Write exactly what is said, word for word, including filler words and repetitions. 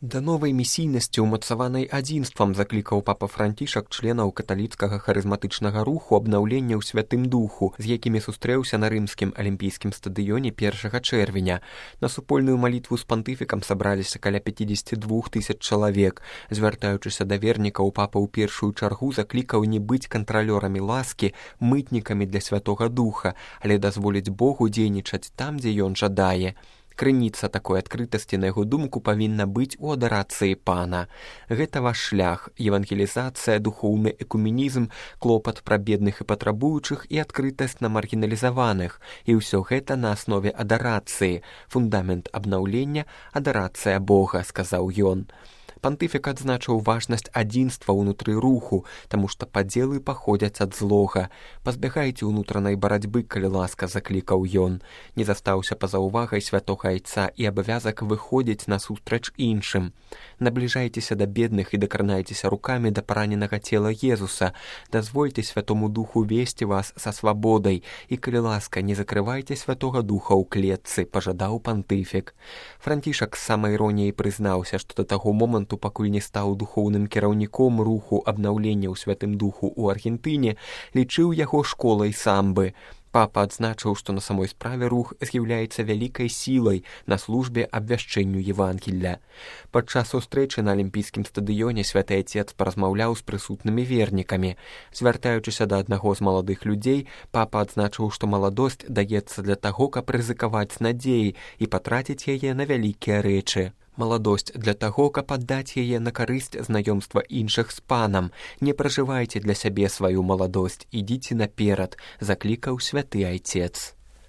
Да новай місійнасці, умацаванай адзінствам, заклікаў папа Францішак членаў каталіцкага харызматычнага руху абнаўлення ў святым духу, з якімі сустрэўся на рымскім алімпійскім стадыёне першага чэрвеня. На супольную малітву з пантыфікам сабраліся каля пяцьдзесят два тысяч чалавек. Звяртаючыся да вернікаў, папа ў першую чаргу заклікаў не быць кантралёрамі ласкі, мытнікамі для святога духа, але дазволіць Богу дзейнічаць там, дзе ён жадае. Крыніца такой адкрытасці, на яго думку, павінна быць у адарацыі пана. Гэта ваш шлях, евангелізацыя, духоўны экуменізм, клопат пра бедных і патрабуючых і адкрытасць на маргіналізаваных. І ўсё гэта на аснове адарацыі. Фундамент абнаўлення – адарацыя Бога, сказаў ён. Пантыфік адзначыў важнасць адзінства ўнутры руху, таму што падзелы паходзяць ад злога. Пазбягайце ўнутранай барацьбы, калі ласка, заклікаў ён. Не застаўся па-за ўвагай святога айца і абавязак выходзіць насустрач іншым. Набліжайцеся да бедных і дакранайцеся рукамі да параненага цела Езуса. Дазвольце святому духу весці вас са свабодай і, калі ласка, не закрывайце святога духа ў клетцы, пажадаў пантыфік. Францішак з самай іроніяй прызнаўся, што да таго моманту, пакуль не стаў духоўным кіраўніком руху абнаўлення ў святым духу ў Аргентыне, лічыў яго школай самбы. Папа адзначыў, што на самой справе рух з'яўляецца вялікай сілай на службе абвяшчэнню Евангелля. Падчас сустрэчы на алімпійскім стадыёне святы айцец паразмаўляў з прысутнымі вернікамі. Звяртаючыся да аднаго з маладых людзей, папа адзначыў, што маладосць даецца для таго, каб рызыкаваць надзеі і патраціць яе на вялікія рэчы. Маладосць для таго, каб аддаць яе на карысць знаёмства іншых з панам. Не пражывайце для сябе сваю маладосць, ідзіце наперад, заклікаў святы айцец.